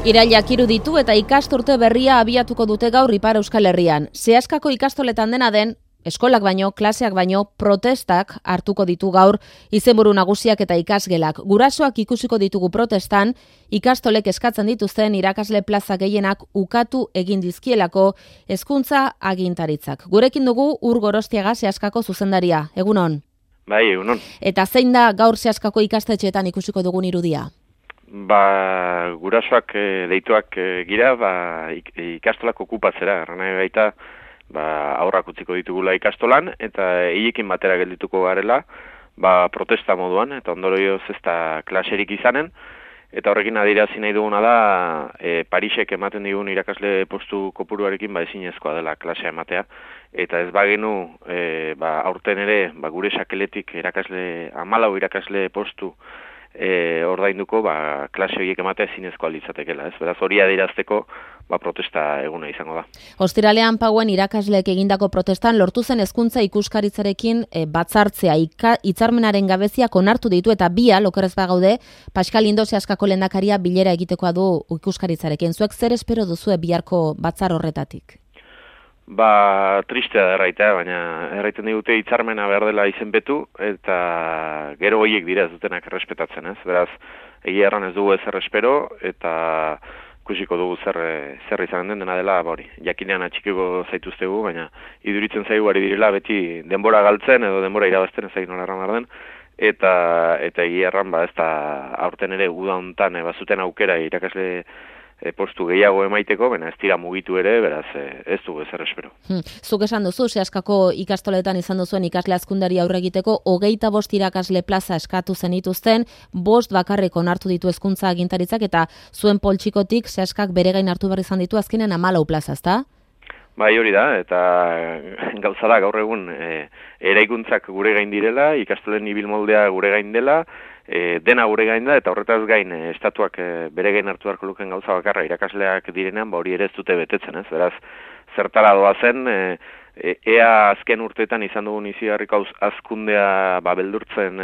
Irailak ditu eta ikasturte berria abiatuko dute gaur Ipar Euskal Herrian. Seaskako ikastoletan dena den, eskolak baino, klaseak baino, protestak hartuko ditu gaur izenburu nagusiak eta ikasgelak. Gurasoak ikusiko ditugu protestan, ikastolek eskatzen dituzten irakasle plaza gehienak ukatu egin dizkielako hezkuntza agintaritzak. Gurekin dugu Ur Gorostiaga Seaskako zuzendaria. Egunon. Bai, egunon. Eta zein da gaur Seaskako ikastetxeetan ikusiko dugun irudia? Gurasoak deituak gira, ikastolak okupatzera, errana baita, aurrak utziko ditugula ikastolan, eta hilekin batera geldituko garela, protesta moduan, eta ondorioz ez da klaserik izanen, eta horrekin adirazi nahi duguna da, Parisek ematen digun irakasle postu kopuruarekin ezinezkoa dela klasea ematea, eta ez bagenu, aurten ere, gure sakeletik 14 irakasle postu ordainduko, klase horiek ematea ezinezkoa litzatekeela, ez? Beraz, hori adierazteko, protesta eguna izango da. Ostiralean Pauen irakasleek egindako protestan lortu zen hezkuntza ikuskaritzarekin batzartzea, hitzarmenaren gabeziak onartu ditu eta bial, okerrez bagaude, Pascal Indo Seaskako lehendakaria bilera egitekoa du ikuskaritzarekin. Zuek zer espero duzue biharko batzar horretatik? Tristea da erraitea, baina erraiten digute hitzarmena behar dela izenpetu, eta gero horiek dira ez dutenak errespetatzen, ez? Beraz, egia erran ez dugu ezer espero, eta ikusiko dugu zer izan den dena dela, jakinean atxikiko zaituztegu, baina iduritzen zaigu ari direla beti denbora galtzen edo denbora irabazten ez zain nola erran den, eta egia erran, ez da aurten ere guda hontan bazuten aukera irakasle postu gehiago emaiteko, baina ez dira mugitu ere, beraz ez dugu ezer espero. Zuk esan duzu, Seaskako ikastoletan izan duzuen ikasle hazkundari aurre egiteko 25 irakasle plaza eskatu zenituzten, 5 bakarrik onartu ditu hezkuntza agintaritzak eta zuen poltsikotik Seaskak bere gain hartu behar izan ditu azkenean 14 plaza, ezta? Bai, hori da, eta gauza da gaur egun eraikuntzak gure gain direla, ikastolen ibilmoldea gure gain dela, dena gure gain da, eta horretaz gain estatuak bere gain hartu beharko luken gauza bakarra irakasleak direnean, hori ere ez dute betetzen, ez? Beraz, zertara doa zen, ea azken urteetan izan dugun izigarriko hazkundea beldurtzen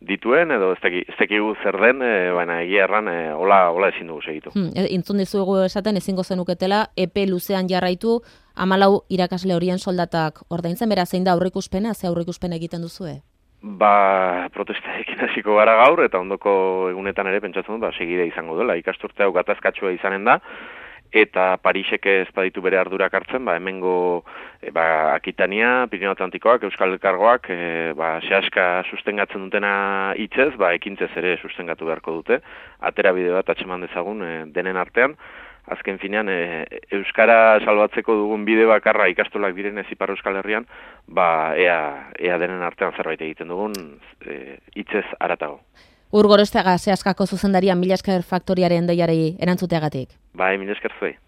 dituen, edo ez dakigu zer den, baina egia erran hola ezin dugu segitu. Intzun dizuegu esaten ezingo zenuketela, epe luzean jarraitu, 14 irakasle horien soldatak ordaintzen, beraz zein da aurreikuspena, ze aurreikuspena egiten duzue? Protestaekin hasiko gara gaur, eta ondoko egunetan ere pentsatzen dut, segide izango dela. Ikasturte hau gatazkatsua izanen da, eta Parisek ez baditu bere ardurak hartzen, hemengo Akitania, Pirineo Atlantikoak, Euskal Elkargoak, Seaska sustengatzen dutena hitzez, ekintzez ere sustengatu beharko dute. Atera bide bat atxeman dezagun denen artean. Azken finean, Euskara salbatzeko dugun bide bakarra ikastolak direnez Ipar Euskal Herrian, ea denen artean zerbait egiten dugun hitzez haratago. Ur Gorostiaga Seaskako zuzendaria, mila esker faktoriaren deiari erantzuteagatik. Mila esker zuei.